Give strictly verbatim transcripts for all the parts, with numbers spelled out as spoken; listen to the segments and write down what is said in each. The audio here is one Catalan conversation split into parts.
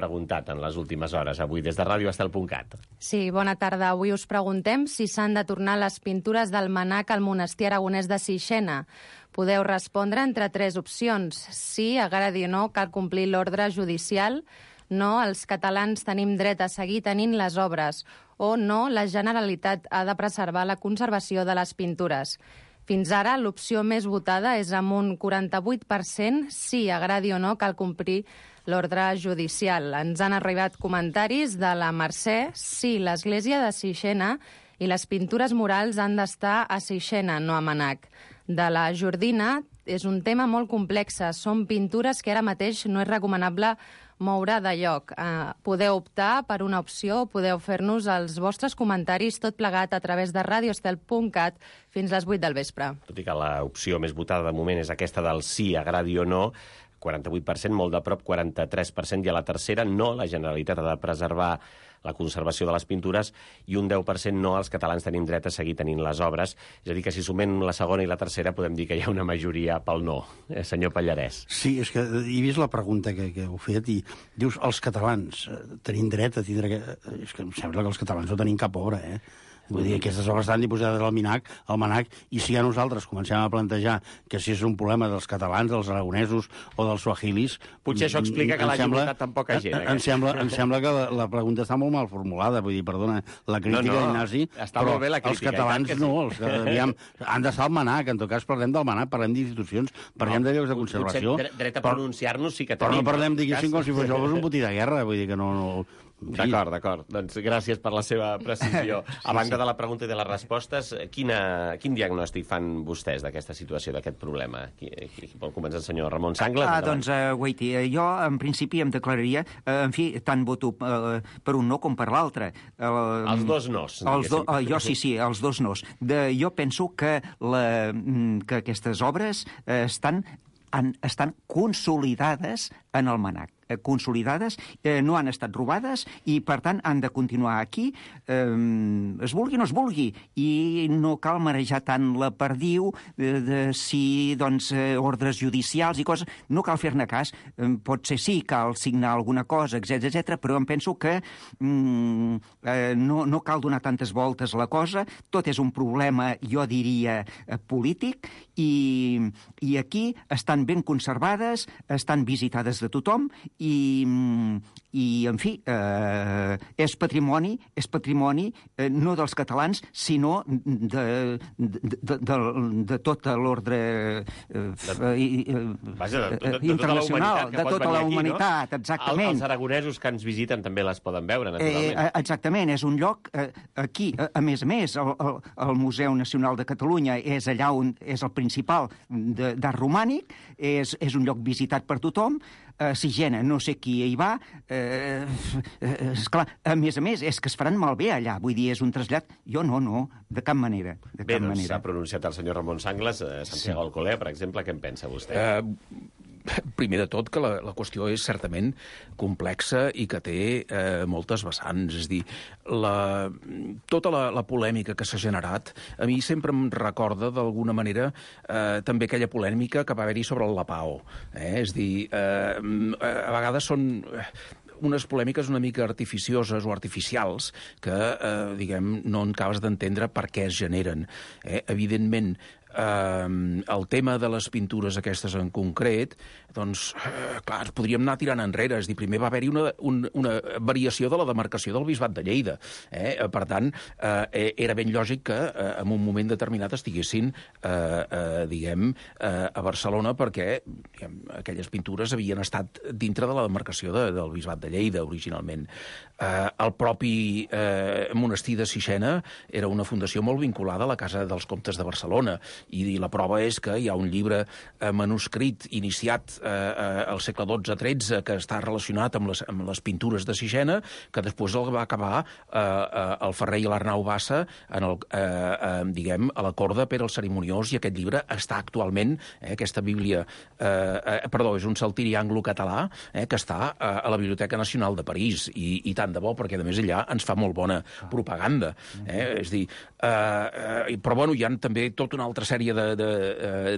preguntat en les últimes hores, avui, des de ràdio estel punt cat. Sí, bona tarda. Avui us preguntem si s'han de tornar les pintures del manac al monestir aragonès de Sixena. Podeu respondre entre tres opcions. Sí, agradi o no, cal complir l'ordre judicial. No, els catalans tenim dret a seguir tenint les obres. O no, la Generalitat ha de preservar la conservació de les pintures. Fins ara, l'opció més votada és amb un quaranta-vuit per cent. Sí, agradi o no, cal complir l'ordre judicial. Ens han arribat comentaris de la Mercè. Sí, l'església de Sixena i les pintures murals han d'estar a Sixena, no a Manac. De la Jordina, és un tema molt complex. Són pintures que ara mateix no és recomanable moure de lloc. Eh, podeu optar per una opció, podeu fer-nos els vostres comentaris, tot plegat a través de ràdio estel punt cat fins les vuit del vespre. Tot i que l'opció més votada de moment és aquesta del sí, agradi o no, quaranta-vuit per cent, molt de prop, quaranta-tres per cent, i a la tercera no, la Generalitat ha de preservar la conservació de les pintures, i un deu per cent no, els catalans tenim dret a seguir tenint les obres. És a dir, que si sumem la segona i la tercera podem dir que hi ha una majoria pel no. Eh, senyor Pallarès. Sí, és que he vist la pregunta que, que heu fet i dius, els catalans eh, tenim dret a tindre... És que em sembla que els catalans no tenim cap obra, eh? Vull dir, aquestes obres estan dipositades al MNAC, al MNAC, i si ja nosaltres comencem a plantejar que si és un problema dels catalans, dels aragonesos o dels suahilis... Potser això explica que l'hagi votat tan poca gent. Em sembla, em sembla que la, la pregunta està molt mal formulada, vull dir, perdona, la crítica no, no, d'Ignasi, però els catalans no, els, aviam, han d'estar al MNAC, en tot cas parlem del MNAC, parlem d'institucions, parlem no, de llocs de conservació... Potser dret a pronunciar-nos sí que tenim. Però no parlem, diguéssim, com si fos això un botí de guerra, vull dir que no... no D'acord, d'acord. Doncs gràcies per la seva precisió. A banda de la pregunta i de les respostes, quina, quin diagnòstic fan vostès d'aquesta situació, d'aquest problema? Qui, qui vol començar el senyor Ramon Sangles? Ah, doncs, uh, Guaiti, jo en principi em declararia, uh, en fi, tant voto uh, per un no com per l'altre. Uh, els dos nos. Els do, uh, jo sí, sí, els dos nos. De, jo penso que, la, que aquestes obres uh, estan, han, estan consolidades en el MNAC. Consolidades, eh, no han estat robades i, per tant, han de continuar aquí, eh, es vulgui o no es vulgui, i no cal marejar tant la perdiu de, de si, doncs, eh, ordres judicials i coses, no cal fer-ne cas, eh, potser sí, cal signar alguna cosa, etcètera, etcètera, però em penso que mm, eh, no, no cal donar tantes voltes a la cosa, tot és un problema, jo diria, eh, polític, i, i aquí estan ben conservades, estan visitades de tothom, i, i en fi, eh, és patrimoni, és patrimoni eh, no dels catalans, sinó de, de, de, de, de tota l'ordre eh, internacional, de tota la humanitat, no? Exactament. Els aragonesos que ens visiten també les poden veure, naturalment. Eh, exactament, és un lloc eh, aquí, a, a més a més, el, el, el Museu Nacional de Catalunya és allà on és el principal d'art romànic, és, és un lloc visitat per tothom, a Sixena no sé qui hi va, eh, eh, esclar, a més a més, és que es faran malbé allà, vull dir, és un trasllat, jo no, no, de cap manera. De Bé, cap doncs manera. S'ha pronunciat el senyor Ramon Sangles, eh, Santiago sí. Alcolea, per exemple, què en pensa vostè? Uh, primer de tot, que la, la qüestió és certament complexa i que té eh, moltes vessants. És a dir, la, tota la, la polèmica que s'ha generat, a mi sempre em recorda, d'alguna manera, eh, també aquella polèmica que va haver-hi sobre el Lapao. Eh? És a dir, eh, a vegades són unes polèmiques una mica artificioses o artificials que, eh, diguem, no acabes d'entendre per què es generen. Eh? Evidentment, Uh, el tema de les pintures aquestes en concret, doncs, uh, clar, ens podríem anar tirant enrere. És dir, primer va haver-hi una, un, una variació de la demarcació del Bisbat de Lleida. Eh? Per tant, uh, era ben lògic que uh, en un moment determinat estiguessin, uh, uh, diguem, uh, a Barcelona, perquè diguem, aquelles pintures havien estat dintre de la demarcació de, del Bisbat de Lleida, originalment. Uh, el propi uh, monestir de Sixena era una fundació molt vinculada a la Casa dels Comtes de Barcelona, i la prova és que hi ha un llibre eh, manuscrit iniciat eh, eh, al segle dotze tretze que està relacionat amb les, amb les pintures de Sixena, que després el va acabar eh, eh, el Ferrer i l'Arnau Bassa en el, eh, eh, diguem, a la corda per al Cerimoniós, i aquest llibre està actualment, eh, aquesta bíblia, eh, eh, perdó, és un saltiri anglo-català eh, que està eh, a la Biblioteca Nacional de París, i, i tant de bo, perquè a més allà ens fa molt bona propaganda. Eh? És dir, eh, eh, però bueno, hi ha també tot un altre sèrie de, de,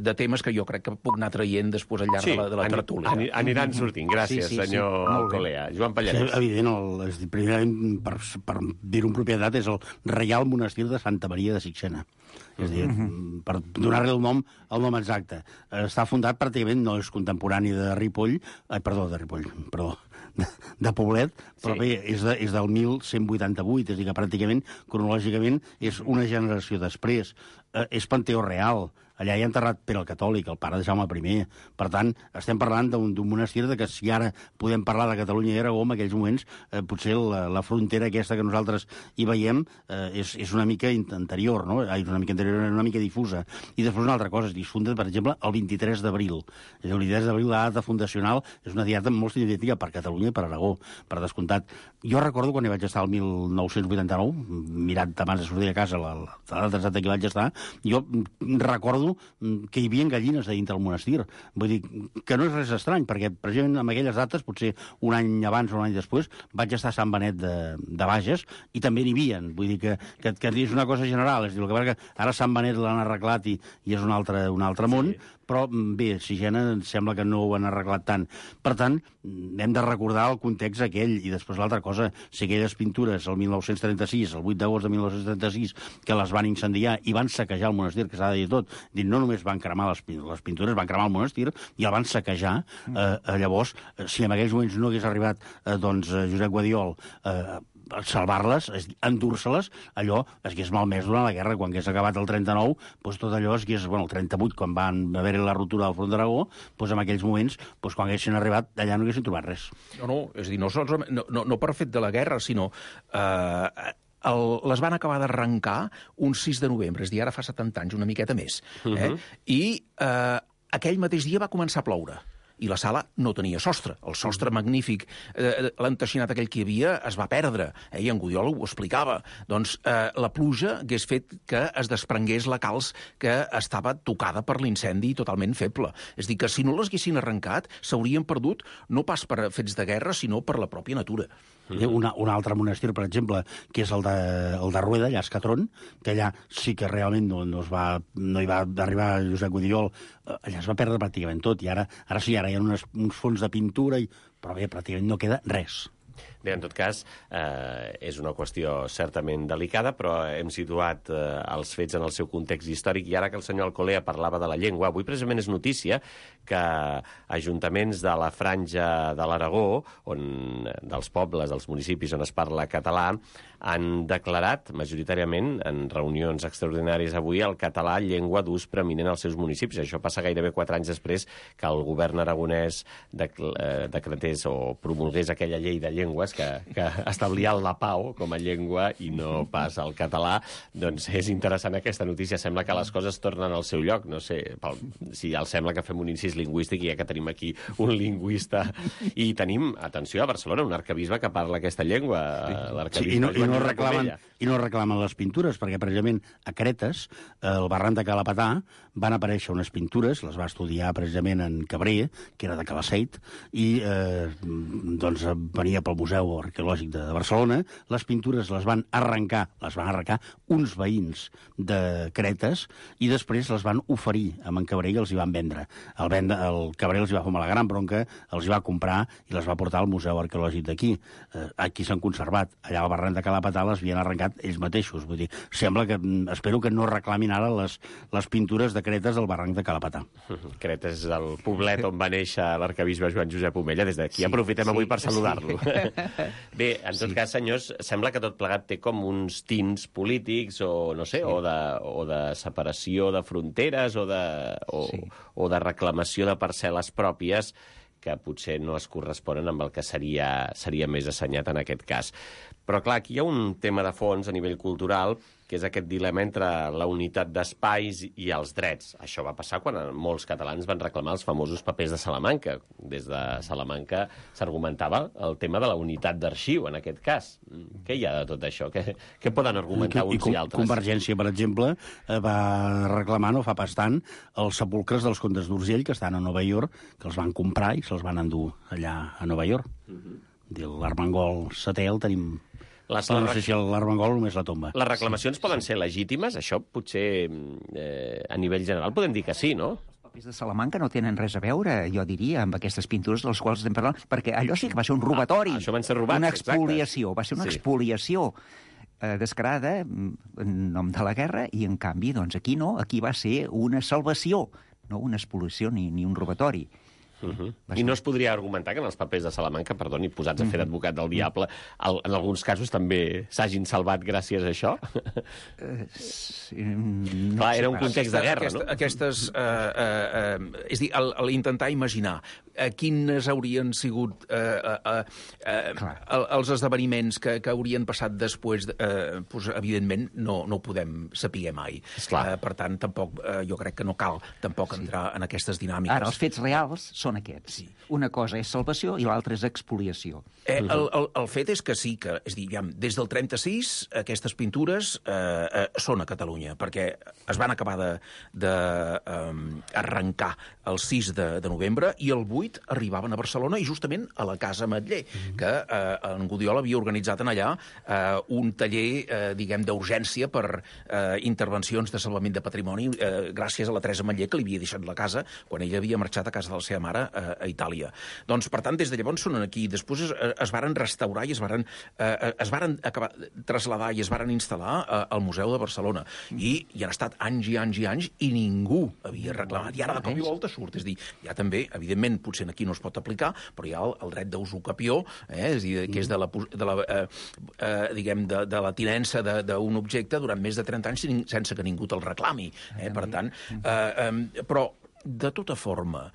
de temes que jo crec que puc anar traient després al llarg sí, de la, de la ani, tertúlia. Ani, aniran sortint. Gràcies, sí, sí, senyor sí. Colea. Joan Pallarès. Sí, evident, el, és, primerament, per, per dir-ho en propietat, és el Reial Monestir de Santa Maria de Sixena. És a dir, uh-huh. per donar-li el nom, el nom exacte. Està fundat pràcticament, no és contemporani de Ripoll, eh, perdó, de Ripoll, perdó, de, de Poblet, però sí. bé, és, de, és del mil cent vuitanta-vuit, és a dir, que pràcticament, cronològicament, és una generació després. Eh, és Panteó Real. Allà hi ha enterrat Pere el Catòlic, el pare de Jaume primer. Per tant, estem parlant d'un monestir de que si ara podem parlar de Catalunya i Aragó, en aquells moments, eh, potser la, la frontera aquesta que nosaltres hi veiem eh, és, és una mica anterior, no? És una mica anterior, una mica difusa. I després una altra cosa, es funda, per exemple, el vint-i-tres d'abril. El vint-i-tres d'abril, la data fundacional, és una data molt significativa per Catalunya i per Aragó, per descomptat. Jo recordo quan hi vaig estar el mil nou-cents vuitanta-nou, mirat abans de sortir de casa la, la data exacta que vaig estar, jo recordo que hi havia gallines a dintre del monestir. Vull dir, que no és res estrany, perquè precisament en aquelles dates, potser un any abans o un any després, vaig estar a Sant Benet de, de Bages i també n'hi havia. Vull dir que, que, que és una cosa general. És dir, el que, que ara Sant Benet l'han arreglat i, i és un altre, un altre món, sí. Però bé, Sixena em sembla que no ho han arreglat tant. Per tant, hem de recordar el context aquell. I després l'altra cosa, si aquelles pintures el mil nou-cents trenta-sis, el vuit d'agost de mil nou-cents trenta-sis, que les van incendiar i van saquejar el monestir, que s'ha de dir tot, dir, no només van cremar les, les pintures, van cremar el monestir i el van saquejar. Eh, llavors, si en aquells moments no hagués arribat eh, doncs, Josep Guadiol eh, salvar-les, endur-se-les, allò es hagués malmès durant la guerra. Quan hagués acabat el trenta-nou, doncs tot allò es hagués, bueno, el trenta-vuit, quan van haver-hi la ruptura del front d'Aragó, doncs en aquells moments, doncs quan haguessin arribat, allà no haguessin trobat res. No, no, és a dir, no, no, no, no per fet de la guerra, sinó eh, el, les van acabar d'arrencar un sis de novembre, és a dir, ara fa setanta anys, una miqueta més. Eh? Uh-huh. I eh, aquell mateix dia va començar a ploure. I la sala no tenia sostre. El sostre magnífic, eh, l'enteixinat aquell que hi havia, es va perdre. Eh? I en Gudiol ho explicava. Doncs eh, la pluja hagués fet que es desprengués la calç que estava tocada per l'incendi totalment feble. És a dir, que si no les haguessin arrencat, s'haurien perdut no pas per fets de guerra, sinó per la pròpia natura. Una, un altre monestir, per exemple, que és el de, el de Rueda, allà a Escatron, que allà sí que realment no, no, es va, no hi va arribar Josep Gudiol, allà es va perdre pràcticament tot, i ara, ara sí, ara hi ha unes, uns fons de pintura, i, però bé, pràcticament no queda res. Bé, en tot cas, eh, és una qüestió certament delicada, però hem situat eh, els fets en el seu context històric, i ara que el senyor Alcolea parlava de la llengua, avui precisament és notícia que ajuntaments de la franja de l'Aragó, on, dels pobles, dels municipis on es parla català, han declarat majoritàriament en reunions extraordinàries avui el català llengua d'ús preeminent als seus municipis. Això passa gairebé quatre anys després que el govern aragonès decretés o promulgués aquella llei de llengües que, que establia el lapao com a llengua i no pas el català. Doncs és interessant aquesta notícia. Sembla que les coses tornen al seu lloc. No sé pel, si ja els sembla que fem un incís lingüístic, ja que tenim aquí un lingüista. I tenim, atenció, a Barcelona, un arquebisbe que parla aquesta llengua, l'arquebisbe sí, i no, Joan i no reclamen, i no reclamen les pintures, perquè precisament a Cretes, al barranc de Calapatà, van aparèixer unes pintures, les va estudiar precisament en Cabré, que era de Calaceit, i eh, doncs venia pel Museu Arqueològic de, de Barcelona. Les pintures les van arrencar, les van arrencar uns veïns de Cretes, i després les van oferir a en Cabré i els hi van vendre. El, vendre, el Cabré els hi va fer la gran bronca, els hi va comprar i les va portar al Museu Arqueològic d'aquí. Eh, aquí s'han conservat. Allà al barranc de Calapatà les havien arrencat ells mateixos. Vull dir, sembla que, espero que no reclamin ara les, les pintures de Cretes del barranc de Calapatà. Cretes és el poblet on va néixer l'arquebisbe Joan Josep Omella. Des d'aquí sí, aprofitem sí, avui per saludar-lo. Sí. Bé, en tot sí. cas, senyors, sembla que tot plegat té com uns tints polítics o, no sé, sí. o, de, o de separació de fronteres o de, o, sí. o de reclamació de parcel·les pròpies que potser no es corresponen amb el que seria, seria més assenyat en aquest cas. Però, clar, aquí hi ha un tema de fons a nivell cultural, que és aquest dilema entre la unitat d'espais i els drets. Això va passar quan molts catalans van reclamar els famosos papers de Salamanca. Des de Salamanca s'argumentava el tema de la unitat d'arxiu, en aquest cas. Què hi ha de tot això? Què, què poden argumentar uns i, i altres? Convergència, per exemple, va reclamar, no fa pas tant, els sepulcres dels comtes d'Urgell, que estan a Nova York, que els van comprar i se'ls van endur allà a Nova York. Uh-huh. L'Armengol setè el tenim... Les, no sé si l'Armengol només la tomba. Les reclamacions sí, poden sí. ser legítimes? Això potser eh, a nivell general podem dir que sí, no? Els papers de Salamanca no tenen res a veure, jo diria, amb aquestes pintures de les quals estem parlant, perquè allò sí que va ser un robatori. Ah, això van ser robats, una expoliació, exacte. Va ser una sí. expoliació eh, descarada en nom de la guerra, i en canvi, doncs aquí no, aquí va ser una salvació, no una expoliació ni, ni un robatori. Uh -huh. I no es podria argumentar que en els papers de Salamanca, perdoni, posats a fer d'advocat del diable, el, en alguns casos també s'hagin salvat gràcies a això? Uh, sí, no Clar, era un Aquesta, context de guerra, aquesta, no? Aquestes... Uh, uh, uh, és a dir, l'intentar imaginar uh, quines haurien sigut uh, uh, uh, els esdeveniments que, que haurien passat després, uh, pues, evidentment, no, no ho podem saber mai. Uh, per tant, tampoc, uh, jo crec que no cal tampoc sí. entrar en aquestes dinàmiques. Ara, els fets reals són aquests. Sí. Una cosa és salvació i l'altra és expoliació. Eh, el, el, el fet és que sí, que, és dir, ja, des del trenta-sis aquestes pintures eh, eh, són a Catalunya, perquè es van acabar de, de eh, arrencar el sis de, de novembre i el vuit arribaven a Barcelona i justament a la Casa Ametller, mm-hmm. que eh, en Gudiol havia organitzat en allà eh, un taller, eh, diguem, d'urgència per eh, intervencions de salvament de patrimoni eh, gràcies a la Teresa Ametller, que li havia deixat la casa quan ella havia marxat a casa de la seva mare a, a Itàlia. Doncs, per tant, des de llavors són aquí. Després es, es varen restaurar i es varen, eh, es varen acabar, traslladar i es varen instal·lar eh, al Museu de Barcelona. I hi han estat anys i anys i anys i ningú havia reclamat. I ara de cop i volta surt. És dir, hi ha també, evidentment, potser aquí no es pot aplicar, però hi ha el, el dret d'usucapió, eh, és dir, que és de la, de la, eh, eh, diguem, de, de la tinença d'un objecte durant més de trenta anys sense que ningú te'l reclami. Eh? Per tant, eh, eh, però, de tota forma,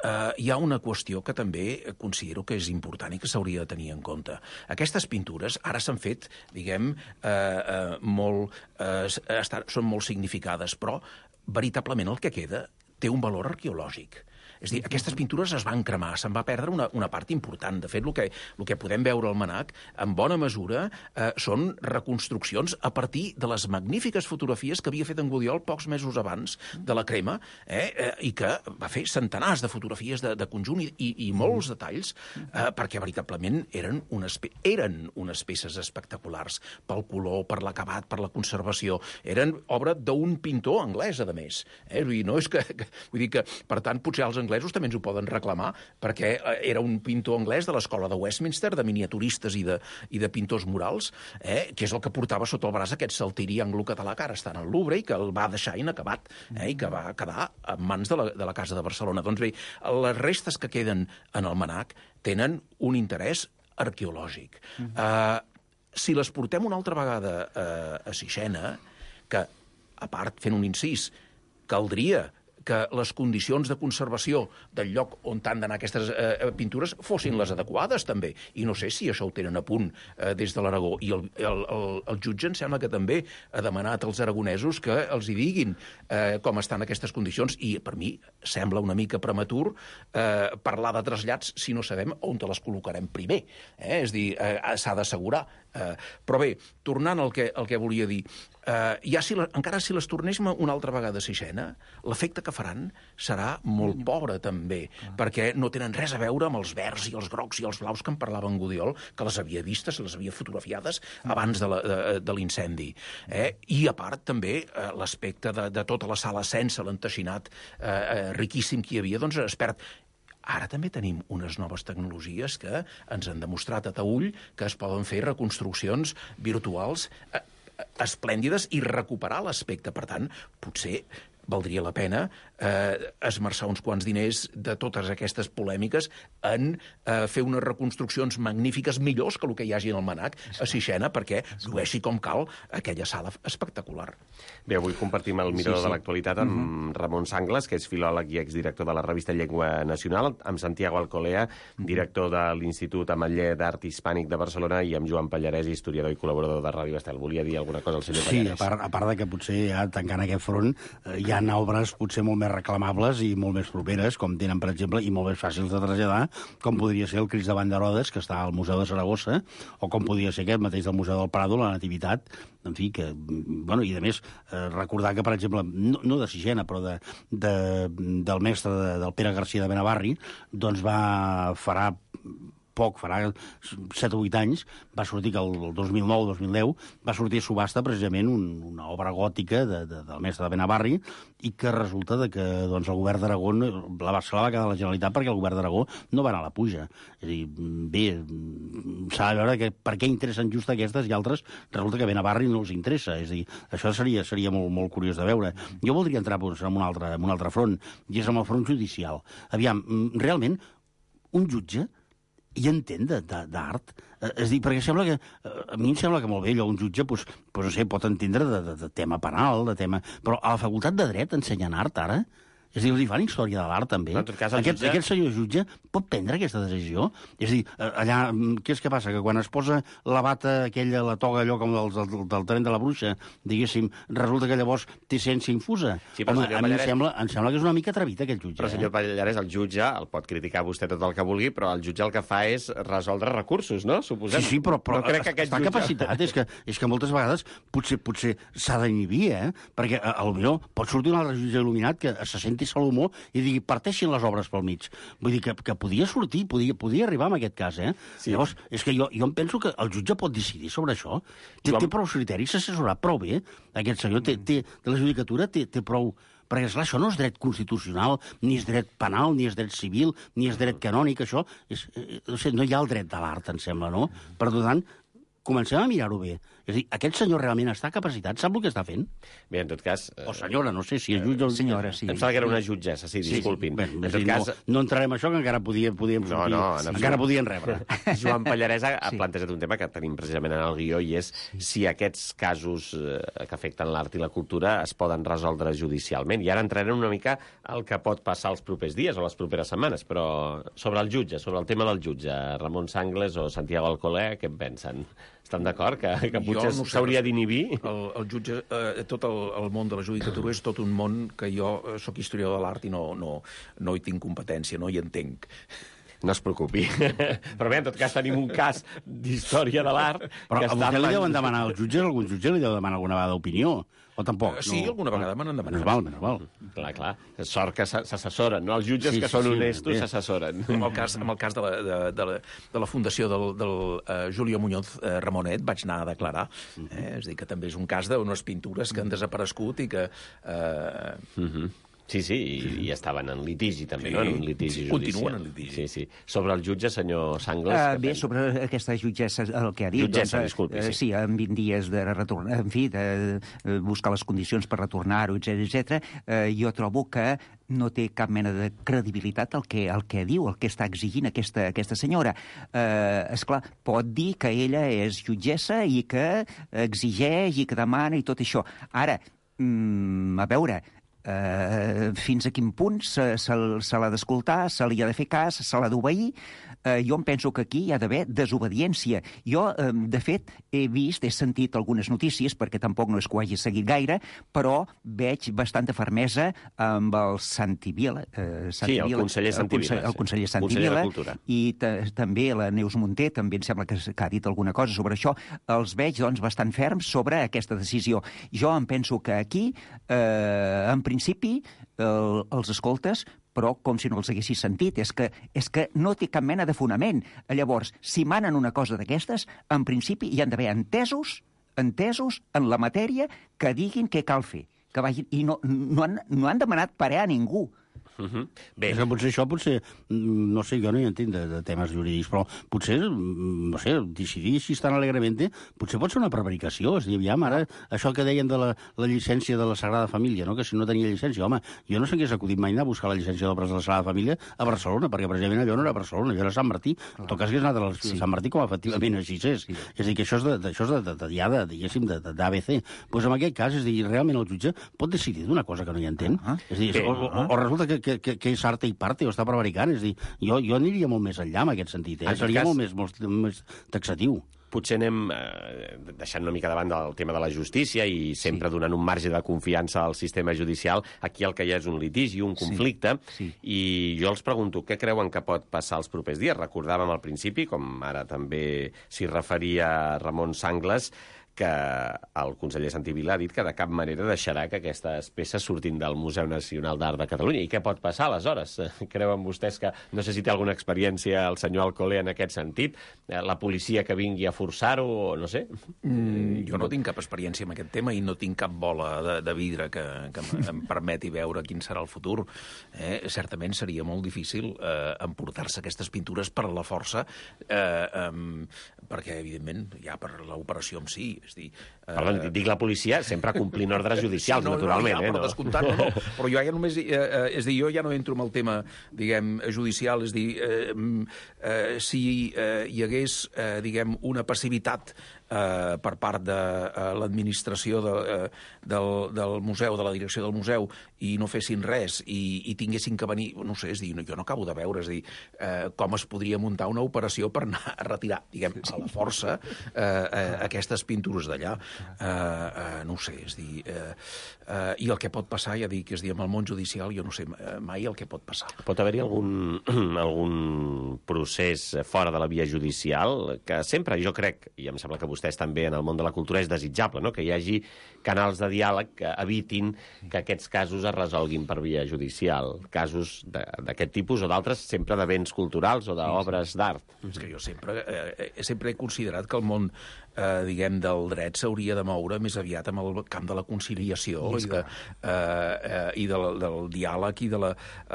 Uh, hi ha una qüestió que també considero que és important i que s'hauria de tenir en compte. Aquestes pintures ara s'han fet, diguem, uh, uh, molt, uh, estan, són molt significades, però veritablement el que queda té un valor arqueològic. És a dir, aquestes pintures es van cremar, se'n va perdre una, una part important. De fet, el que, el que podem veure al Mnac, en bona mesura, eh, són reconstruccions a partir de les magnífiques fotografies que havia fet en Gudiol pocs mesos abans de la crema, eh, eh, i que va fer centenars de fotografies de, de conjunt i, i, i molts detalls, eh, perquè veritablement eren unes, eren unes peces espectaculars pel color, per l'acabat, per la conservació. Eren obra d'un pintor anglès, a més. Eh? Vull dir, no és que, que, vull dir que, per tant, potser els anglesos també ens ho poden reclamar, perquè era un pintor anglès de l'escola de Westminster, de miniaturistes i de, i de pintors murals, eh, que és el que portava sota el braç aquest saltiri anglo-català que ara està en el Louvre i que el va deixar inacabat, eh, i que va quedar en mans de la, de la Casa de Barcelona. Doncs bé, les restes que queden en el Mnac tenen un interès arqueològic. Uh, si les portem una altra vegada uh, a Sixena, que, a part, fent un incís, caldria que les condicions de conservació del lloc on han d'anar aquestes eh, pintures fossin les adequades, també. I no sé si això ho tenen a punt eh, des de l'Aragó. I el, el, el, el jutge em sembla que també ha demanat als aragonesos que els hi diguin eh, com estan aquestes condicions. I, per mi, sembla una mica prematur eh, parlar de trasllats si no sabem on te les col·locarem primer. Eh? És dir, eh, s'ha d'assegurar. Eh, però bé, tornant al que, al que volia dir, Uh, ja si la, encara si les tornéssim una altra vegada a Sixena, l'efecte que faran serà molt pobre, també, ah. perquè no tenen res a veure amb els verds i els grocs i els blaus que en parlava en Gudiol, que les havia vistes, les havia fotografiades abans de, la, de, de l'incendi. Eh? I, a part, també, uh, l'aspecte de, de tota la sala sense l'enteixinat uh, uh, riquíssim que hi havia, doncs es perd. Ara també tenim unes noves tecnologies que ens han demostrat a Taüll que es poden fer reconstruccions virtuals uh, esplèndides i recuperar l'aspecte. Per tant, potser valdria la pena eh, esmerçar uns quants diners de totes aquestes polèmiques en eh, fer unes reconstruccions magnífiques, millors que el que hi hagi en el Mnac a Sixena, perquè llueixi com cal aquella sala espectacular. Bé, avui compartim el Mirador sí, sí. de l'actualitat amb uh-huh. Ramon Sanglas, que és filòleg i exdirector de la revista Llengua Nacional, amb Santiago Alcolea, director de l'Institut Ametller d'Art Hispànic de Barcelona, i amb Joan Pallarès, historiador i col·laborador de Ràdio Estel. Volia dir alguna cosa al senyor sí, Pallarès? Sí, a part, a part de que potser ja tancant aquest front eh, hi ha obres potser molt més reclamables i molt més properes, com tenen, per exemple, i molt més fàcils de traslladar, com podria ser el Crist davant d'Herodes, que està al Museu de Saragossa, o com podria ser aquest mateix del Museu del Prado, la Nativitat, en fi, que, bueno, i a més, eh, recordar que, per exemple, no, no de Sixena, però de, de, del mestre de, del Pere Garcia de Benavarri, doncs va farà poc, farà set o vuit anys, va sortir que el dos mil nou dos mil deu va sortir a subhasta precisament un, una obra gòtica de, de, del mestre de Benavarri, i que resulta de que doncs, el govern d'Aragó la va, se la va quedar la Generalitat perquè el govern d'Aragó no va anar a la puja. És a dir, bé, s'ha de veure que, per què interessen just aquestes i altres, resulta que Benavarri no els interessa. És a dir, això seria, seria molt, molt curiós de veure. Jo voldria entrar doncs, en, un altre, en un altre front, i és en el front judicial. Aviam, realment, un jutge i entén d'art. És a dir, perquè sembla que... A mi em sembla que molt bé, allò, un jutge, doncs, doncs no sé, pot entendre de, de, de tema penal, de tema... Però a la facultat de dret ensenyen art, ara? És a dir, els hi fan història de l'art, també. No, en tot cas, aquest, jutge... aquest senyor jutge pot prendre aquesta decisió? És a dir, allà, què és que passa? Que quan es posa la bata aquella, la toga, allò com del, del, del tren de la bruixa, diguéssim, resulta que llavors té ciència infusa? Sí, però, home, a mi em sembla, em sembla que és una mica atrevit, aquest jutge. Però, senyor eh? Pallares, el jutge, el pot criticar vostè tot el que vulgui, però el jutge el que fa és resoldre recursos, no? Suposem. Sí, sí, però, però no crec que aquest està jutge... capacitat. És que, és que moltes vegades potser potser s'ha d'inhibir, eh? Perquè a, a lo millor pot sortir un altre jutge il·luminat que se senti Salomó i digui, parteixin les obres pel mig. Vull dir que, que podia sortir, podia, podia arribar en aquest cas, eh? Sí. Llavors, és que jo, jo em penso que el jutge pot decidir sobre això. Té, Joan... té prou criteris, s'ha assessorat prou bé. Aquest senyor té, té, de la judicatura té, té prou... Perquè, esclar, això no és dret constitucional, ni és dret penal, ni és dret civil, ni és dret canònic, això... És, no sé, no hi ha el dret de l'art, em sembla, no? Per tant, comencem a mirar-ho bé. És a dir, aquest senyor realment està capacitat? Sap el que està fent? Bé, en tot cas... O senyora, no sé si és jutge o... Senyora, sí. Em sembla que era una jutgessa, sí, disculpin. Sí, sí. Bé, en tot cas... No, no entrarem a això, que encara podíem, podíem sortir... No, no, encara podien rebre. Joan Pallares ha, ha sí. plantejat un tema que tenim precisament en el guió, i és sí. si aquests casos eh, que afecten l'art i la cultura es poden resoldre judicialment. I ara entrarem una mica al que pot passar els propers dies o les properes setmanes, però sobre el jutge, sobre el tema del jutge, Ramon Sangles o Santiago Alcolé, què en pensen? Estan d'acord que, que potser no s'hauria d'inhibir? El, el jutge, eh, tot el, el món de la judicatura és tot un món que jo eh, sóc historiador de l'art i no, no, no hi tinc competència, no hi entenc. No es preocupi. Però bé, en tot cas tenim un cas d'història de l'art... Però que a vostè li deuen demanar als jutges, algun jutge li deu demanar alguna vegada opinió? O tampoc? Sí, no, alguna vegada me n'han demanat. Menys val, menys val. Clar, clar. Sort que s'assessoren, no? Els jutges Sí, que sí, són sí, honestos bé. s'assessoren. En el cas, en el cas de, la, de, de, la, de la fundació del, del uh, Julio Muñoz uh, Ramonet vaig anar a declarar. Eh? És a dir, que també és un cas d'unes pintures que han desaparegut i que... Uh, Mhm. Sí, sí, i, i estaven en litigi també, Sí, no? En un litigi sí, judicial. continuen en litigi. Sí, sí. Sobre el jutge, senyor Sangles... Uh, què bé, pensa? sobre aquesta jutgessa, el que ha dit... Jutgessa, doncs, disculpi, eh, sí. Sí, en vint dies de retornar, en fi, de eh, buscar les condicions per retornar-ho, etcètera, etcètera. Eh, jo trobo que no té cap mena de credibilitat el que, el que diu, el que està exigint aquesta, aquesta senyora. Eh, esclar, pot dir que ella és jutgessa i que exigeix i que demana i tot això. Ara, mm, a veure... Uh, fins a quin punt se, se, se l'ha d'escoltar, se li ha de fer cas, se l'ha d'obeir. Uh, jo em penso que aquí hi ha d'haver desobediència. Jo, uh, de fet, he vist, he sentit algunes notícies, perquè tampoc no és que ho hagi seguit gaire, però veig bastanta fermesa amb el Santi Vila. Uh, Sí, el conseller Santi Vila, El, el conseller Santi conseller de Vila. Cultura. I també la Neus Munté, també em sembla que, que ha dit alguna cosa sobre això. Els veig, doncs, bastant ferms sobre aquesta decisió. Jo em penso que aquí, eh, en principi, el, els escoltes, però com si no els haguessis sentit. És que, és que no té cap mena de fonament. Llavors, si manen una cosa d'aquestes, en principi hi han d'haver entesos, entesos en la matèria que diguin què cal fer. Que vagin, I no, no, han, no han demanat parer a ningú. Uh -huh. Bé, És que potser això, potser, no sé, jo no hi entenc de, de temes jurídics, però potser, no sé, decidir així tan alegrement, potser pot ser una prevaricació. És a dir, aviam, ara, això que deien de la, la llicència de la Sagrada Família, no? Que si no tenia llicència, home, jo no s'hagués acudit mai anar a buscar la llicència d'obres de la Sagrada Família a Barcelona, perquè precisament allò no era Barcelona, allò era Sant Martí. En tot cas, hagués anat a la, sí. Sant Martí com efectivament així és. Sí. És a dir, que això és, de, de, això és de, de, de, ja de, diguéssim, d'A B C. Doncs en aquest cas, és a dir, realment el jutge pot decidir d'una cosa que no hi entén. Uh -huh. És a dir, o, o, o resulta que, que, que, que és arte i parte o està prevaricant. És a dir, jo, jo aniria molt més enllà en aquest sentit. Eh? Seria cas, molt, més, molt més taxatiu. Potser anem eh, deixant una mica davant del tema de la justícia i sempre sí. donant un marge de confiança al sistema judicial. Aquí el que hi ha és un litigi, un conflicte, sí. Sí. i jo els pregunto, què creuen que pot passar els propers dies? Recordàvem al principi, com ara també s'hi referia Ramon Sangles, que el conseller Santi Vila ha dit que de cap manera deixarà que aquestes peces surtin del Museu Nacional d'Art de Catalunya. I què pot passar, aleshores? Creuen vostès que... No sé si té alguna experiència el senyor Alcolea en aquest sentit? La policia que vingui a forçar-ho, o no sé? Mm, jo no tinc cap experiència en aquest tema i no tinc cap bola de, de vidre que, que em permeti veure quin serà el futur. Eh? Certament seria molt difícil eh, emportar-se aquestes pintures per la força, eh, eh, perquè, evidentment, ja per l'operació en si, és dir... Eh... Perdó, dic la policia sempre complint ordres judicials, sí, no, naturalment. No, ja, eh, per no. descomptat, no, no. Però jo ja només... Eh, eh, és dir, jo ja no entro en el tema, diguem, judicial, és dir, eh, eh, si eh, hi hagués, eh, diguem, una passivitat eh, per part de eh, l'administració de, eh, del, del museu, de la direcció del museu, i no fessin res, i, i tinguessin que venir... No sé, és dir, jo no acabo de veure, és dir, eh, com es podria muntar una operació per anar a retirar, diguem, a la força, eh, eh, aquestes pintures d'allà. Uh, uh, no ho sé, és dir... Uh, uh, I el que pot passar, ja dic, és dir, amb el món judicial, jo no sé mai el que pot passar. Pot haver-hi algun, algun procés fora de la via judicial que sempre, jo crec, i em sembla que vostès també en el món de la cultura és desitjable, no? Que hi hagi canals de diàleg que evitin que aquests casos es resolguin per via judicial. Casos d'aquest tipus o d'altres, sempre de béns culturals o d'obres d'art. És que jo sempre, eh, sempre he considerat que el món Eh, diguem, del dret s'hauria de moure més aviat amb el camp de la conciliació i, de, eh, eh, i del, del diàleg i de la,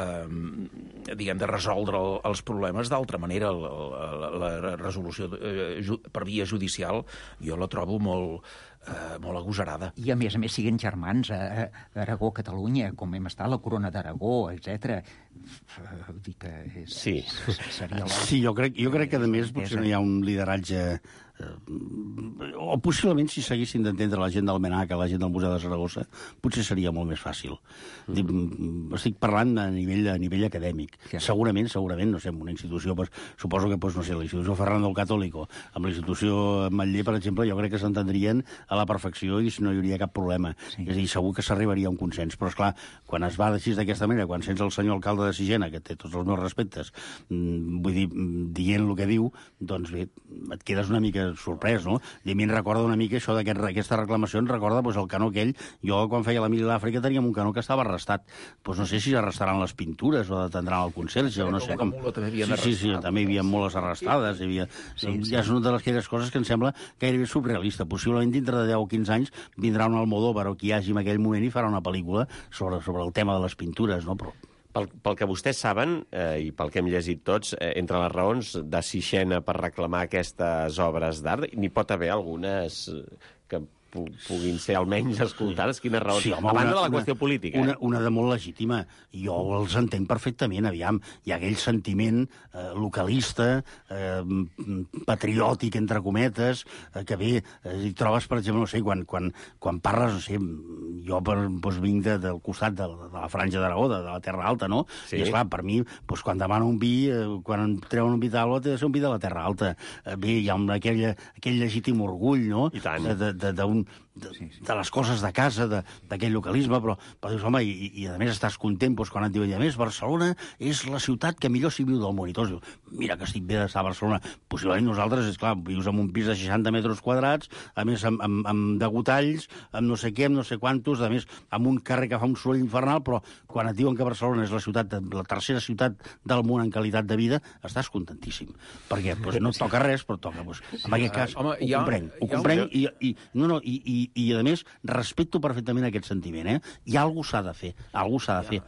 eh, diguem, de resoldre el, els problemes d'altra manera. La, la, la resolució eh, ju, per via judicial jo la trobo molt, eh, molt agosarada. I a més a més siguen germans a, a Aragó, Catalunya, com hem estat, la Corona d'Aragó, etcètera. Vull dir que és, sí. seria la... Sí, jo crec, jo crec que a més potser no hi ha un lideratge o possiblement si s'haguessin d'entendre la gent del MNAC, la gent del Museu de Saragossa, potser seria molt més fàcil. Mm. Estic parlant a nivell, a nivell acadèmic. Sí. Segurament, segurament, no sé, en una institució, pues, suposo que, pues, no sé, la institució Fernando el Católico, amb la institució Matller, per exemple, jo crec que s'entendrien a la perfecció i no hi hauria cap problema. Sí. És a dir, segur que s'arribaria a un consens. Però, esclar, quan es va així d'aquesta manera, quan sents el senyor alcalde de Sigena, que té tots els meus respectes, vull dir, dient el que diu, doncs bé, et quedes una mica sorprès, no? I a mi em recorda una mica això d'aquesta reclamació, em recorda pues, el canó aquell. Jo, quan feia la Mili a l'Àfrica, teníem un canó que estava arrestat. Pues no sé si arrestaran les pintures o detendran el conserge, o no sé com... Sí, sí, sí, també hi havia moltes arrestades. Hi havia... sí, sí. Ja és una de les coses que em sembla gairebé surrealista. Possiblement dintre de deu o quinze anys vindrà un Almodóvar o qui hi hagi en aquell moment i farà una pel·lícula sobre, sobre el tema de les pintures, no? Però... Pel, pel que vostès saben, eh, i pel que hem llegit tots, eh, entre les raons de Sixena per reclamar aquestes obres d'art, n'hi pot haver algunes que puguin ser almenys escoltades, quines raons? Sí, home, a banda una, de la qüestió una, política. Una, eh? una de molt legítima. Jo els entenc perfectament, aviam. Hi ha aquell sentiment eh, localista, eh, patriòtic, entre cometes, eh, que bé, eh, hi trobes, per exemple, no sé, quan, quan, quan parles, no sé, jo per, doncs, vinc de, del costat de, de la Franja d'Aragó, de, de la Terra Alta, no? Sí. I, esclar, per mi, doncs, quan demano un vi, eh, quan em treuen un vi d'Alba, té de ser un vi de la Terra Alta. Eh, bé, hi ha un, aquell, aquell legítim orgull, no? I tant. De, de, de, de, de, de les coses de casa, d'aquell localisme, però, però dius, home, i, i a més estàs content doncs, quan et diuen, a més, Barcelona és la ciutat que millor s'hi viu del món. I tots dius, mira que estic bé d'estar a Barcelona. Possiblement nosaltres, és clar, vius en un pis de seixanta metres quadrats, a més amb, amb, amb degotalls, amb no sé què, amb no sé quantos, a més amb un carrer que fa un soroll infernal, però quan et diuen que Barcelona és la ciutat, la tercera ciutat del món en qualitat de vida, estàs contentíssim. Perquè doncs, no et toca res, però toca. Doncs, en aquest cas, Home, ho comprenc. Ho comprenc i, i, no, no, i, i, i, a més, respecto perfectament aquest sentiment, eh? I alguna cosa s'ha de fer, alguna cosa s'ha de fer.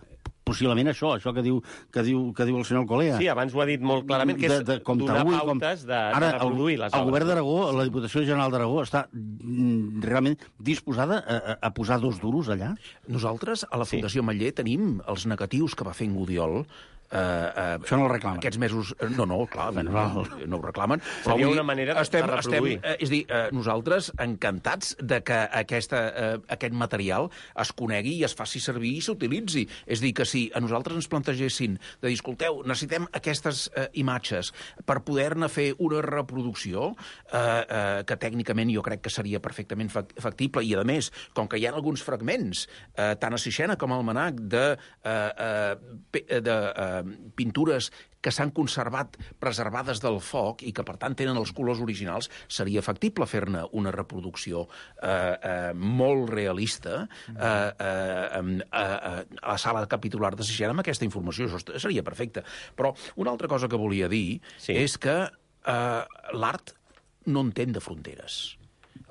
Possiblement això, això que diu, que diu, que diu el senyor Alcolea. Sí, abans ho ha dit molt clarament, que és de, de, donar pautes com... de, de Ara, reproduir les obres. El govern d'Aragó, la Diputació General d'Aragó, està mm, realment disposada a, a posar dos duros allà? Nosaltres, a la Fundació sí. Matller, tenim els negatius que va fer en Gudiol. Uh, uh, Això no el reclamen. Aquests mesos... No, no, clar, bueno, no, no ho reclamen. Però seria una manera de, estem, de reproduir. Estem, uh, és dir, uh, nosaltres encantats de que aquesta, uh, aquest material es conegui i es faci servir i s'utilitzi. És dir, que si a nosaltres ens plantegessin de dir, escolteu, necessitem aquestes uh, imatges per poder-ne fer una reproducció uh, uh, que tècnicament jo crec que seria perfectament factible i, a més, com que hi ha alguns fragments, uh, tant a Sixena com al Manac, de... Uh, uh, de uh, eh, pintures que s'han conservat preservades del foc i que, per tant, tenen els colors originals, seria factible fer-ne una reproducció eh, eh, molt realista eh, eh, eh, a la sala capitular de Sixena amb aquesta informació. Això seria perfecte. Però una altra cosa que volia dir sí. és que eh, l'art no entén de fronteres.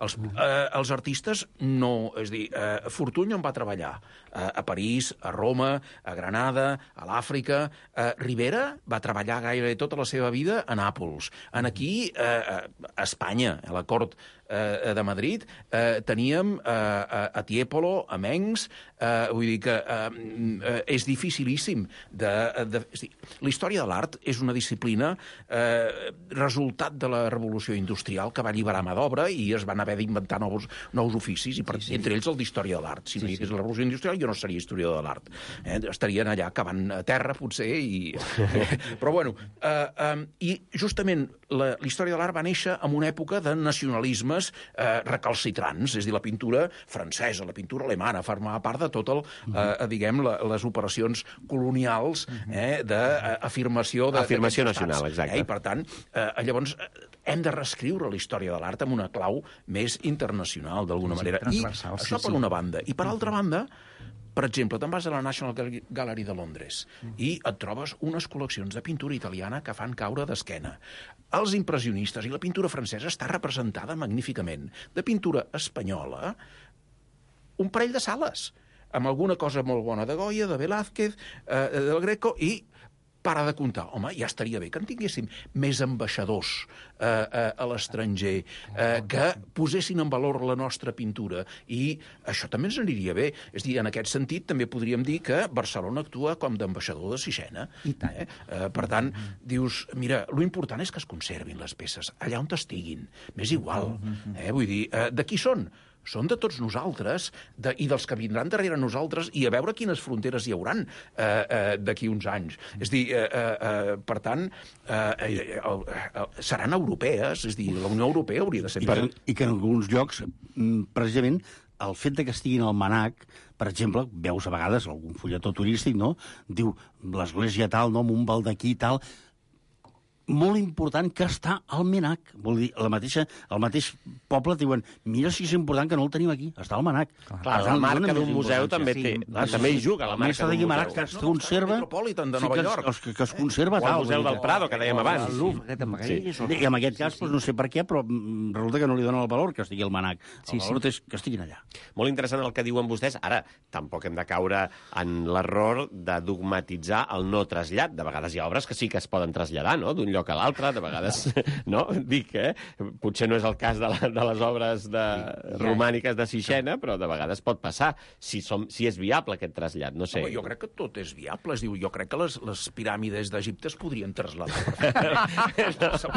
Els, eh, els artistes no... És a dir, eh, Fortuny on va treballar? Eh, a París, a Roma, a Granada, a l'Àfrica. Eh, Rivera va treballar gairebé tota la seva vida a Nàpols. En aquí, eh, a Espanya, a la cort eh, de Madrid, eh, teníem eh, a Tiepolo, a Mengs, eh, vull dir que eh, és dificilíssim de... de és dir, la història de l'art és una disciplina eh, resultat de la revolució industrial que va alliberar mà d'obra i es van haver d'inventar nous, nous oficis, i per, sí, sí. entre ells el d'història de l'art. Si no hi hagués sí, sí. la revolució industrial, jo no seria historiador de l'art. Eh? Estarien allà cavant a terra, potser, i... però bueno, eh, eh, i justament la, la història de l'art va néixer en una època de nacionalismes eh, recalcitrants, és a dir, la pintura francesa, la pintura alemana, formava part de tot el, eh, diguem, la, les operacions colonials eh, d'afirmació de, afirmació nacional, exacte. Eh? I, per tant, eh, llavors, hem de reescriure la història de l'art amb una clau més internacional, d'alguna sí, manera. I això sí, per sí. una banda. I per altra banda, per exemple, te'n vas a la National Gallery de Londres i et trobes unes col·leccions de pintura italiana que fan caure d'esquena. Els impressionistes i la pintura francesa està representada magníficament. De pintura espanyola, un parell de sales, amb alguna cosa molt bona de Goya, de Velázquez, eh, del Greco, i para de comptar. Home, ja estaria bé que en tinguéssim més ambaixadors eh, eh, a l'estranger, eh, que posessin en valor la nostra pintura, i això també ens aniria bé. És a dir, en aquest sentit, també podríem dir que Barcelona actua com d'ambaixador de Sixena. I tant. Eh? Eh, per tant, dius, mira, lo important és que es conservin les peces, allà on estiguin. M'és igual. Eh? Vull dir, eh, de qui són? Són de tots nosaltres de, i dels que vindran darrere nosaltres, i a veure quines fronteres hi hauran eh, eh, d'aquí uns anys. És a dir, eh, eh, per tant, eh, eh, eh, seran europees, és a dir, la Unió Europea hauria de ser... I que, i que en alguns llocs, precisament, el fet de que estiguin al MNAC, per exemple, veus a vegades algun fulletó turístic, no? Diu, l'església tal, no, amb un baldaquí tal... molt important que està al MNAC. Vol dir, la mateixa, el mateix poble diuen, mira si és important que no el tenim aquí, està al MNAC. Clar, clar, la marca d'un museu també té, sí, també hi juga la marca d'un museu. Que es conserva... Metropolitan de Nova York. Que, que es conserva o tal. el Museu del Prado, que dèiem abans. Sí. I en aquest cas, no sé per què, però resulta que no li donen el valor que estigui al MNAC. El valor és que estiguin allà. Molt interessant el que diuen vostès. Ara, tampoc hem de caure en l'error de dogmatitzar el no trasllat. De vegades hi ha obres que sí que es poden traslladar, no?, d'un lloc a l'altre, de vegades, no? Dic, eh? Potser no és el cas de, la, de les obres de, sí, romàniques de Sixena, però de vegades pot passar, si, som, si és viable aquest trasllat, no sé. Home, jo crec que tot és viable. Es diu, jo crec que les, les piràmides d'Egipte es podrien traslladar. no,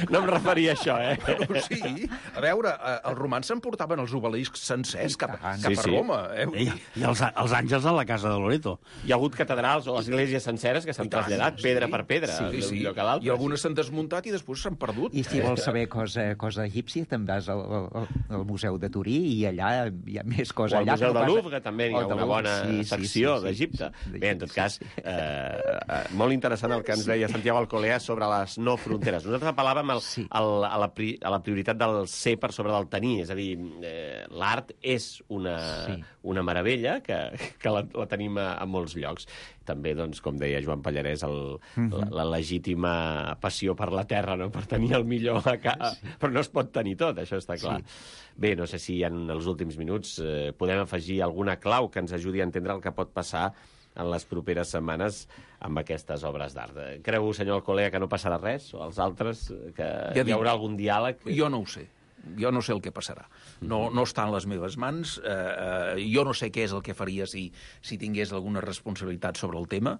no em referia a això, eh? Però sí, a veure, els romans s'emportaven els obeliscs sencers cap, cap sí, a sí. Roma. Eh? I, i els, els àngels a la casa de Loreto. Hi ha hagut catedrals o esglésies senceres que s'han traslladat, pedra per pedra, sí, sí. d'un lloc a l'altre. I algunes s'han desmuntat i després s'han perdut. I si vols saber cosa, cosa egípcia, te'n vas al, al, al Museu de Turí i allà hi ha més cosa. O al allà Museu de no Louvre, que també hi ha una bona sí, secció sí, sí, d'Egipte. Sí, sí, Bé, en tot cas, eh, eh, molt interessant el que ens deia Santiago Alcolea sobre les no fronteres. Nosaltres apel·làvem al, sí. al, a, la pri, a la prioritat del ser per sobre del tenir, és a dir, eh, l'art és una, sí. una meravella que, que la, la tenim a, a molts llocs. També, doncs, com deia Joan Pallarès, el, mm-hmm. la, la legítima passió per la terra, no?, per tenir el millor a ca... sí. Però no es pot tenir tot, això està clar. Sí. Bé, no sé si en els últims minuts eh, podem afegir alguna clau que ens ajudi a entendre el que pot passar en les properes setmanes amb aquestes obres d'art. Creu, senyor Alcolea, que no passarà res? O els altres, que ja hi haurà algun diàleg? Jo no ho sé. Jo no sé el que passarà. No, no està en les meves mans. Eh, eh, jo no sé què és el que faria si, si tingués alguna responsabilitat sobre el tema,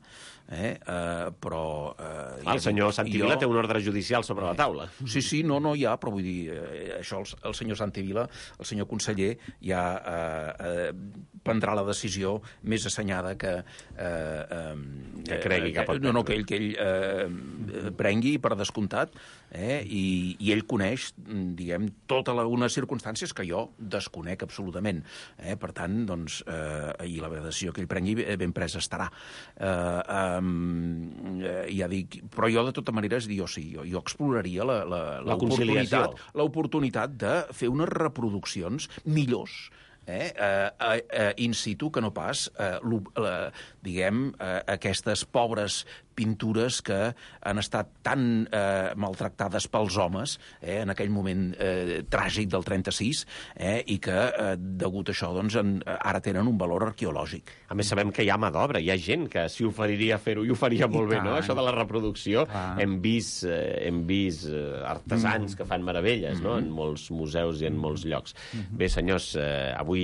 eh, eh, però... Eh, el senyor Santivila jo... té un ordre judicial sobre la taula. Sí, sí, no, no hi ha, però vull dir, eh, això el, el senyor Santivila, el senyor conseller, ja eh, eh, prendrà la decisió més assenyada que... Eh, eh, que cregui que pot prendre. No, no, que ell, que ell eh, prengui, per descomptat, eh, i, i ell coneix, diguem, tota la, unes circumstàncies que jo desconec absolutament. Eh? Per tant, doncs, eh, i la decisió que ell prengui ben presa estarà. Eh, eh, ja dic, però jo, de tota manera, jo sí, jo, jo exploraria la, la, La conciliació. l'oportunitat de fer unes reproduccions millors, Eh, eh, eh, in situ, que no pas, eh, la, diguem, eh, aquestes pobres pintures que han estat tan eh, maltractades pels homes eh, en aquell moment eh, tràgic del trenta-sis eh, i que, eh, degut a això, doncs, en, ara tenen un valor arqueològic. A més, sabem que hi ha mà d'obra, hi ha gent que s'hi oferiria a fer-ho i ho faria molt bé, no? Això de la reproducció. Ah. Hem vist, eh, hem vist eh, artesans mm. que fan meravelles, mm-hmm. no?, en molts museus i en molts llocs. Mm-hmm. Bé, senyors, eh, avui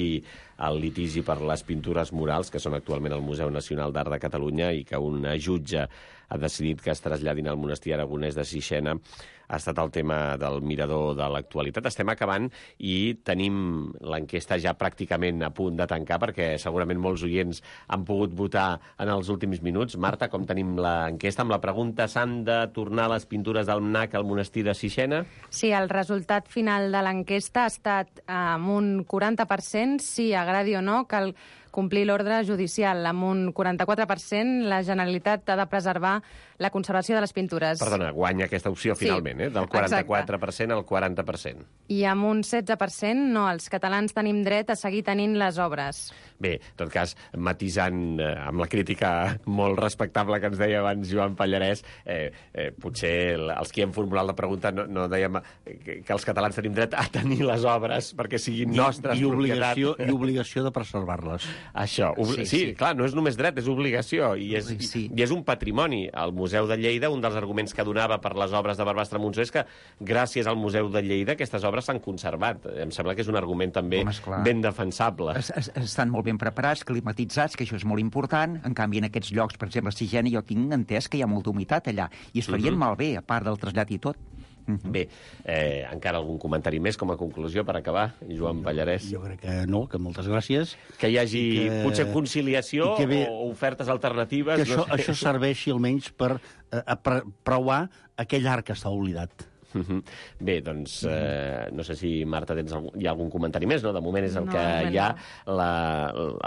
el litigi per les pintures murals, que són actualment al Museu Nacional d'Art de Catalunya i que un jutge ha decidit que es traslladin al monestir aragonès de Sixena, ha estat el tema del mirador de l'actualitat. Estem acabant i tenim l'enquesta ja pràcticament a punt de tancar, perquè segurament molts oients han pogut votar en els últims minuts. Marta, com tenim l'enquesta? Amb la pregunta: s'han de tornar les pintures del M N A C al monestir de Sixena? Sí, el resultat final de l'enquesta ha estat amb un quaranta per cent, sí, agradi o no, cal complir l'ordre judicial. Amb un quaranta-quatre per cent, la Generalitat ha de preservar la conservació de les pintures. Perdona, guanya aquesta opció finalment, sí, eh? Del quaranta-quatre per cent al quaranta per cent. I amb un setze per cent, no, els catalans tenim dret a seguir tenint les obres. Bé, en tot cas, matisant eh, amb la crítica molt respectable que ens deia abans Joan Pallarès, eh, eh, potser el, els que hem formulat la pregunta no, no dèiem que, que els catalans tenim dret a tenir les obres perquè siguin nostres I, i obligació, propietat. I obligació de preservar-les. Això, obli... sí, sí, sí, clar, no és només dret, és obligació, i és, sí. i és un patrimoni. Al Museu de Lleida, un dels arguments que donava per les obres de Barbastre Montsó és que gràcies al Museu de Lleida aquestes obres s'han conservat. Em sembla que és un argument també Home, ben defensable. Es, es, estan molt ben preparats, climatitzats, que això és molt important. En canvi, en aquests llocs, per exemple, a Sixena, jo tinc entès que hi ha molta humitat allà, i es farien uh-huh. malbé, a part del trasllat i tot. Uh-huh. Bé, eh, encara algun comentari més com a conclusió per acabar, Joan Pallarès? Jo crec que no, que moltes gràcies. Que hi hagi que... potser conciliació ve... o ofertes alternatives. Que això, no sé. això serveixi almenys per eh, preuar aquell art que està oblidat. Uh-huh. Bé, doncs, eh, no sé si, Marta, tens algun, hi ha algun comentari més, no? De moment és el no, que no. hi ha. La,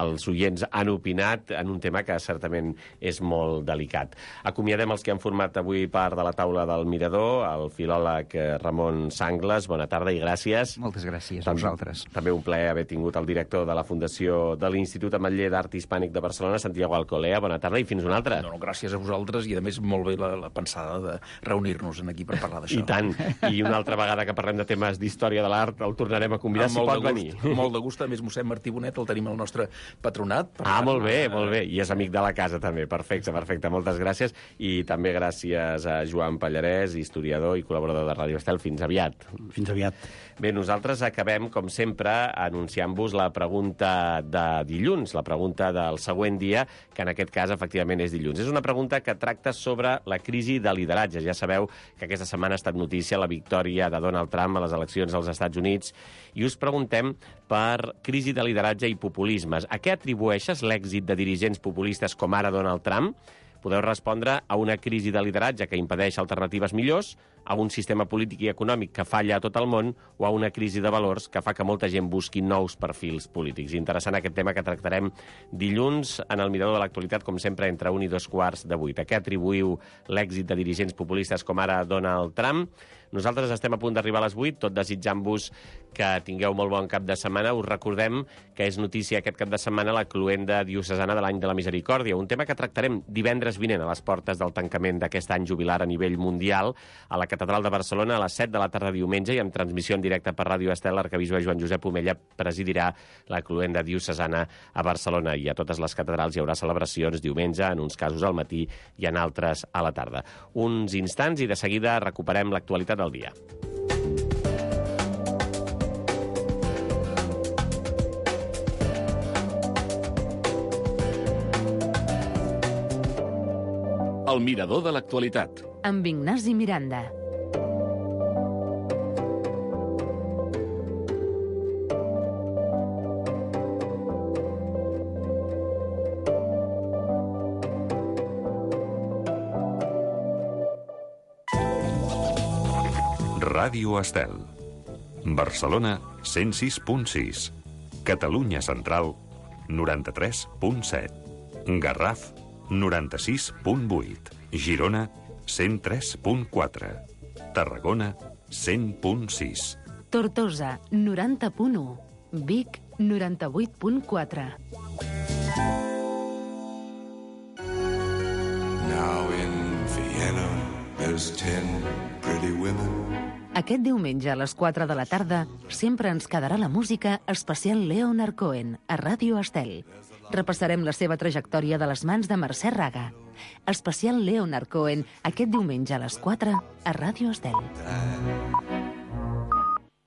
els oients han opinat en un tema que certament és molt delicat. Acomiadem els que han format avui part de la taula del Mirador, el filòleg Ramon Sangles. Bona tarda i gràcies. Moltes gràcies també, a vosaltres. També un plaer haver tingut el director de la Fundació de l'Institut Ametller d'Art Hispànic de Barcelona, Santiago Alcolea. Bona tarda i fins una altra. No, no, gràcies a vosaltres i, a més, molt bé la, la pensada de reunir-nos aquí per parlar d'això. I tant. I una altra vegada que parlem de temes d'història de l'art el tornarem a convidar, si pot venir. Amb molt de gust. A més, mossèn Martí Bonet el tenim al nostre patronat. Ah, molt bé, molt bé. I és amic de la casa, també. Perfecte, perfecte. Moltes gràcies. I també gràcies a Joan Pallarès, historiador i col·laborador de Ràdio Estel. Fins aviat. Fins aviat. Bé, nosaltres acabem, com sempre, anunciant-vos la pregunta de dilluns, la pregunta del següent dia, que en aquest cas, efectivament, és dilluns. És una pregunta que tracta sobre la crisi de lideratge. Ja sabeu que aquesta setmana ha estat notícia la victòria de Donald Trump a les eleccions als Estats Units i us preguntem per crisi de lideratge i populismes. A què atribueixes l'èxit de dirigents populistes com ara Donald Trump? Podeu respondre a una crisi de lideratge que impedeix alternatives millors, a un sistema polític i econòmic que falla a tot el món o a una crisi de valors que fa que molta gent busqui nous perfils polítics. Interessant aquest tema que tractarem dilluns en el Mirador de l'Actualitat, com sempre, entre un i dos quarts de vuit. A què atribuïu l'èxit de dirigents populistes com ara Donald Trump? Nosaltres estem a punt d'arribar a les vuit, tot desitjant-vos que tingueu molt bon cap de setmana. Us recordem que és notícia aquest cap de setmana la cloenda diocesana de l'Any de la Misericòrdia, un tema que tractarem divendres vinent a les portes del tancament d'aquest any jubilar a nivell mundial a la Catedral de Barcelona a les set de la tarda diumenge i amb transmissió en directe per Ràdio Estel. L'arquebisbe Joan Josep Omella presidirà la cloenda diocesana a Barcelona i a totes les catedrals hi haurà celebracions diumenge, en uns casos al matí i en altres a la tarda. Uns instants i de seguida recuperem l'actualitat del dia. El Mirador de l'Actualitat. Amb Ignasi Miranda. Ràdio Estel. Barcelona, cent sis punt sis. Catalunya Central, noranta-tres punt set. Garraf, noranta-sis punt vuit. Girona, cent tres punt quatre. Tarragona, cent punt sis. Tortosa, noranta punt u. Vic, noranta-vuit punt quatre. Now in Vienna, there's ten pretty women. Aquest diumenge a les quatre de la tarda sempre ens quedarà la música especial Leonard Cohen a Ràdio Estel. Repassarem la seva trajectòria de les mans de Mercè Raga. Especial Leonard Cohen aquest diumenge a les quatre a Ràdio Estel.